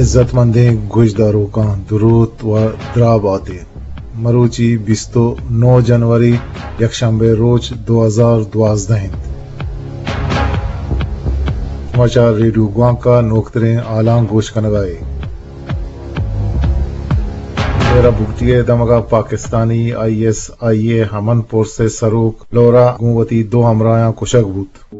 عزتمندیں گوشداروکاں دروت و دراہ باتیں۔ مروچی بیست و نو جنوری، یکشنبے روچ، دو ہزار دوازدہ انت۔ شما چہ ریڈیو گوانک ءَ نوکتریں حالاں گوش کنگ ءَ ئے۔ ڈیرہ بگٹی ءِ دمگ ءَ پاکستانی آئی ایس آئی ءِ امن پورس ءِ سروک لورا گوں وتی دو ہمراہاں کشگ بوت۔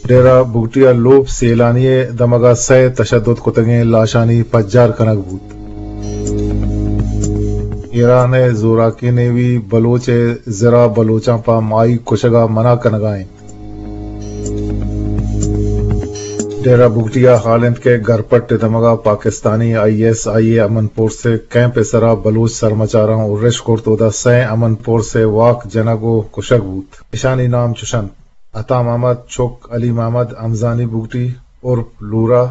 ڈیرہ بگٹی ءَ لوپ سیلانی ءِ دمگ ءَ سئے تشدد کتگیں لاشانی پجار کنگ بوت۔ ایران ءِ زوراکیں نیوی بلوچ ءِ زرا بلوچاں پہ ماہیگ کشگ ءَ منع کنگ ءَ انت۔ ڈیرہ بگٹی ءَ حال انت کہ گرپٹ ءِ دمگ ءَ پاکستانی آئی ایس آئی ءِ امن پورس ءِ کیمپ ءِ سرا بلوچ سرمچاراں ارش کرت، اودا سئے امن پورس ءِ واک جنگ ءُ کشگ بوت۔ اشانی نام چش انت: عطا محمد چک علی محمد ہمزانی بگٹی عرف لورا،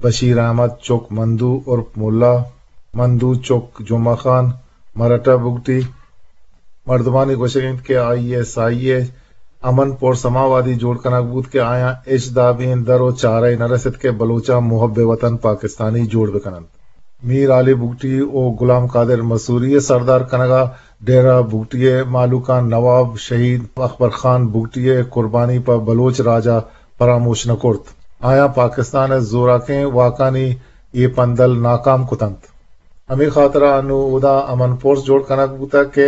بشیر احمد چک مندو عرف ملا، مندو چک جمعہ خان، مرٹا بگٹی۔ مردمانی گوشگ انت کہ آئی ایس آئی ءِ امن پورس ہما وہدی جوڑ کنگ بوت کہ آیاں ہچ دابیں در ءُ چارہ ئے نہ رست کہ بلوچاں محب وطن پاکستانی جوڑ بہ کن انت۔ میر علی بگٹی ءُ غلام قادر مسوری ءِ سردار کنگ ءَ ڈیرہ بگٹی ءِ مہلوکاں نواب شہید اکبر خان بگٹی ءِ قربانی پہ بلوچ راج ءَ پراموش نہ کرت۔ آیاں پاکستان ءِ زوراکیں واکانی اے پندل ناکام کت انت۔ ہمے خاطر ءَ انوں اودا امن پورس جوڑ کنگ بوتگ کہ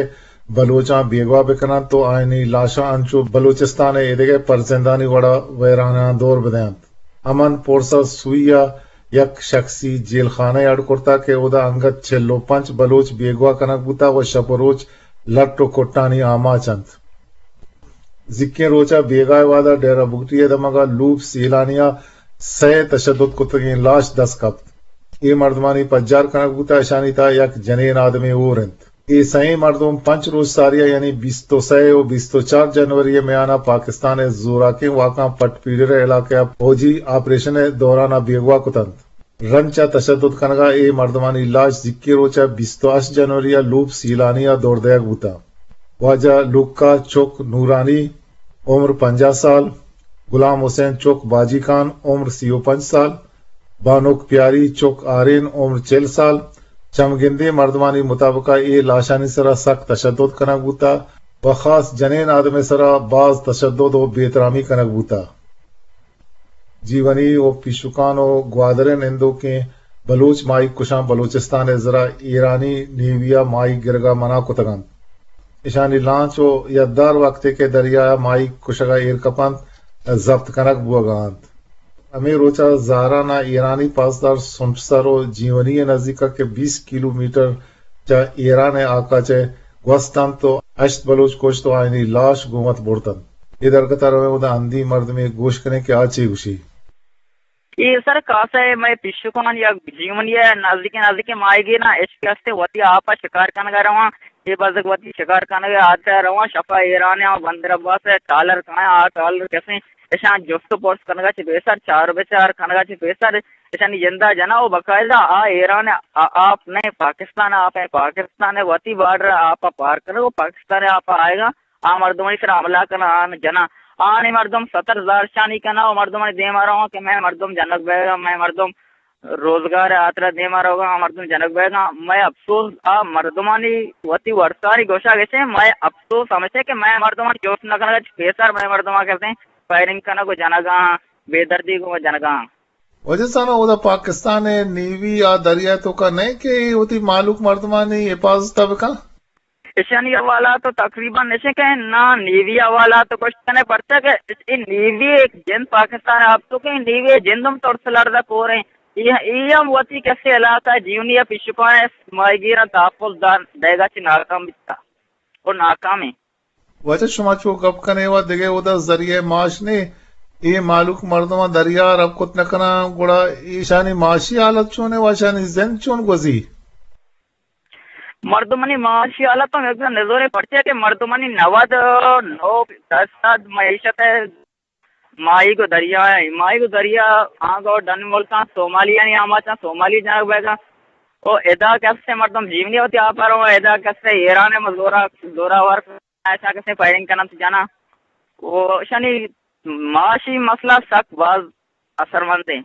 بلوچاں بیگواہ بہ کن انت ءُ آیانی لاشاں انچو بلوچستان ءِ ایدگہ پرزندانی وڑ ءَ ویراناں دور بدئینت۔ امن پورس ءَ سوئی ءَ یک شخصی جیل خانہ ئے اڈ کرتگ کہ اودا انگت چل ءُ پنچ بلوچ بیگواہ کنگ بوتگ ءُ شپ ءُ روچ لٹ ءُ کٹانی آماچ انت۔ زیکیں روچ ءَ بیگاہ ءِ وہد ءَ ڈیرہ بگٹی ءِ دمگ ءَ لوپ سیلانی ءَ سئے تشدد کتگیں لاش دست کپت۔ اے مردمانی پجار کنگ بوتگ، اشانی تہا یک جنین آدمے ہور انت۔ اے سئیں مردم پنچ روچ ساری ءَ، یعنی بیست ءُ سئے ءُ بیست ءُ چار جنوری ءِ میان ءَ پاکستان ءِ زوراکیں واکاں پٹ پیڈر ءِ علاقہ ءَ فوجی آپریشن ءِ دوران ءَ بیگواہ کت انت۔ رند چہ تشدد کنگ ءَ اے مردمانی لاش زیکیں روچ ءَ بیست ءُ ہشت جنوری ءَ لوپ سیلانی ءَ دور دئیگ بوتگ۔ واجہ لوکا چک نورانی، عمر پنجاہ سال، غلام حسین چک باجی خان، عمر سی ءُ پنچ سال، بانک پیاری چک آرین، عمر چل سال۔ چمگندیں مردمانی مطابق ءَ اے لاشانی سرا سک تشدد کنگ بوتگ ءُ خاص جنین آدم ءِ سرا باز تشدد ءُ بے احترامی کنگ بوتگ۔ جیونی ءُ پیشوکان ءُ گوادر ءِ نندوکیں بلوچ ماہیگ کشاں بلوچستان ءِ زرا ایرانی نیوی ءَ ماہیگ گرگ ءَ منع کتگ انت۔ اشانی لانچ ءُ یدار وقتے کہ دریا ءَ ماہیگ کشگ ءَ ایر کپ انت، ضبط کنگ بوگ ءَ انت۔ ہمے روچ ءَ زہران ءَ ایرانی پاسدار سمسر ءُ جیونی ءِ نزیک ءَ کہ بیست کیلومیٹر چہ ایران ءِ آکاچ ءَ گوست انت ءُ ہشت بلوچ کشت ءُ آیانی لاش گوں وت برت انت۔ اے درگت ءَ رویں، اودا ہندی مردمے گوش کنیں کہ آ چے گوشی۔ اے سر کاسہ ءَ مئے پیشوکان یا جیونی ءَ نزدیکیں نزدیکیں ماہیگیراں اشکستے وتی آپ ءَ شکار کنگ ءَ رواں۔ اے بزگ وتی شکار کنگ ءِ ہاترا رواں، شپ ءَ ایران ءَ بندر عباس ءَ ٹالر کایاں، آ ٹالر کسیں اشاں جست ءُ پرس کنگ ءَ چہ پیسر، چار ءُ بچار کنگ ءَ چہ پیسر اشانی جند ءَ جناں ءُ باقاعدہ آ ایران ءِ آ-، آپ نہ، پاکستان ءِ آپ ءَ، پاکستان ءِ وتی بارڈر ءِ آپ ءَ پار کنگ ءُ پاکستان ءِ آپ ءَ آیگ ءَ آ مردمانی سرا حملہ کناں، آ جناں۔ آنی مردم ستر زہرشانی کناں ءُ مردمانی دیم ءَ رواں کہ مئے مردم جنگ بیگ ءَ، مئے مردم روزگار ءِ ہاترا دیم ءَ روگ ءَ، آ مردم جنگ بیگ ءَ۔ مئے اپسوز آ مردمانی وتی ورسانی گوشگ اش انت، مئے اپسوز ہمیش انت کہ مئے مردمانی جست نہ کنگ ءَ چہ پیسر مئے مردماں کسیں فائرنگ کنگ ءُ جنگ ءَ، بے دردی گوں جنگ ءَ۔ واجہ صاحب، اودا پاکستان ءِ نیوی آ دریا ءِ توکا نہ انت کہ اے وتی مہلوک مردمانی حفاظت ءَ بکن؟ ایشانی حوالہ تو تقریباً ایش انت کہ نا نیوی حوالہ تو کچھ نہ، پرچا کہ اے نیوی ءِ جند پاکستان ءِ آپ ءَ کہ نیوی ءِ جند ہم ترس لرز ءَ کور انت۔ اے، اے ہم وتی کسے علاقہ جیونی ءِ پیشوکاں ماہیگیراں تحفظ دان دئیگ ءَ چہ ناکام بیتگ ءُ ناکام انت۔ واجہ، شما چو گپ کنے و دگہ اودا ذریعہ معاش نے، اے مہلوک مردماں دریا رب کت نہ کناں، گڑا ایشانی معاشی حالت چون ہے و ایشانی زند چون گوزی؟ مردمانی معاشی حالت ہم یک نزوریں، پرچہ کہ مردمانی نود و نو درصد معیشت ہے ماہیگ و دریا ہے۔ ماہیگ و دریا آنگو ڈن ملکاں، صومالیانی آماچاں، صومالی جنگ بیگاں۔ او ادا کسے مردم جیونی ہوتی آپ رو، ادا کسے ایران ہے زورا، زورا ور ایسا کسے فائرنگ کنن تو جانا۔ او شانی معاشی مسئلہ سک باز اثرمند ہیں۔